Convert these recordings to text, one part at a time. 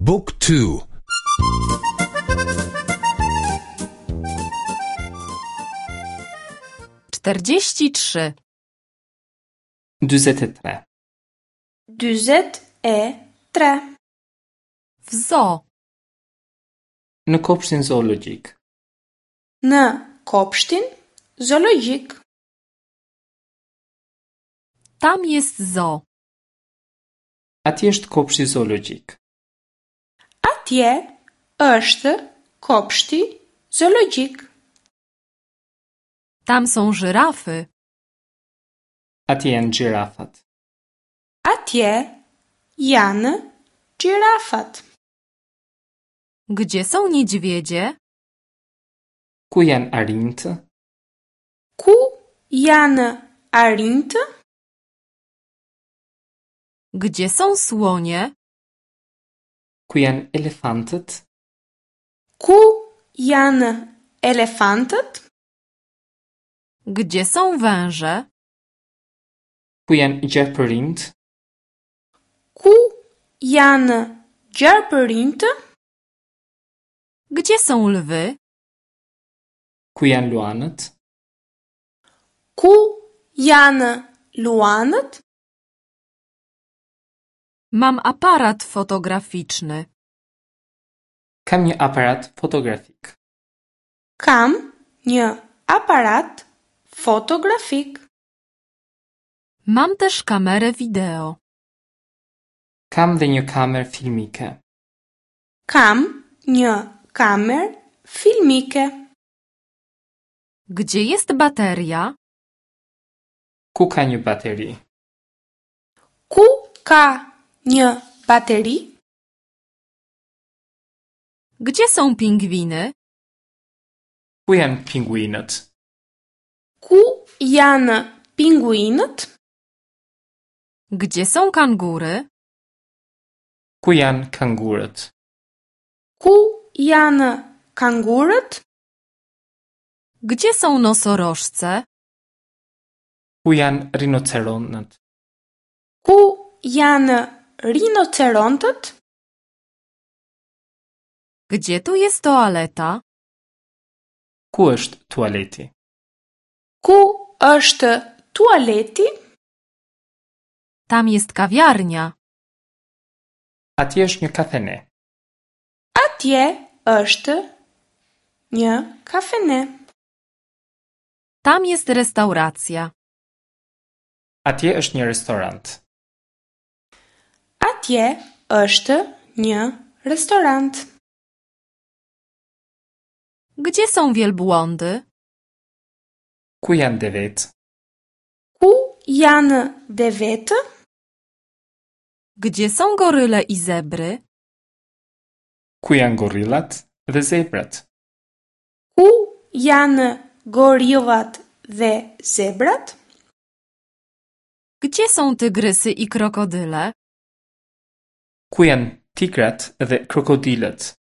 บุ๊กทู 43. 43. 43. W zoo. Në kopshtin zoologjik. Në kopshtin zoologjik. Tam jest zoo. Atje është kopshti zoologjik. Atje është kopshti zoologjik. Tam są żyrafy. Atje janë gjirafat. Atje janë gjirafat. Gdzie są niedźwiedzie? Ku janë arinjtë? Ku janë arinjtë? Gdzie są słonie? Ku janë elefantët? Ku janë elefantët? Gdzie są węże? Ku janë gjarpërinjtë? Ku janë gjarpërinjtë? Gdzie są lwy? Ku janë luanët? Ku janë luanët? Mam aparat fotograficzny. Kam një aparat fotografik. Kam një aparat fotografik. Mam też kamerę wideo. Kam dhe një kamerë filmike. Kam një kamerë filmike. Gdzie jest bateria? Ku ka një bateri? Ku ka një bateri? Gdzie są pingwiny? Ku janë pinguinët? Ku janë pinguinët? Gdzie są kangury? Ku janë kangurët? Ku janë kangurët? Gdzie są nosorożce? Ku janë rinoceronët? Ku janë rinocerontët? Gdzie tu jest toaleta? Ku është tualeti? Ku është tualeti? Tam jest kawiarnia. Atje është një kafene. Atje është një kafene. Tam jest restauracja. Atje është një restorant. Atje është një restorant. Gdzie są wielbłądy? Ku janë devet? Ku janë devetë? Gdzie są goryle i zebry? Ku janë gorillat dhe zebrat? Ku janë gorillat dhe zebrat? Gdzie są tygrysy i krokodyle? Ku janë tigrat dhe krokodilët?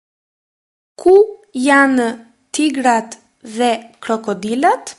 Ku janë tigrat dhe krokodilat?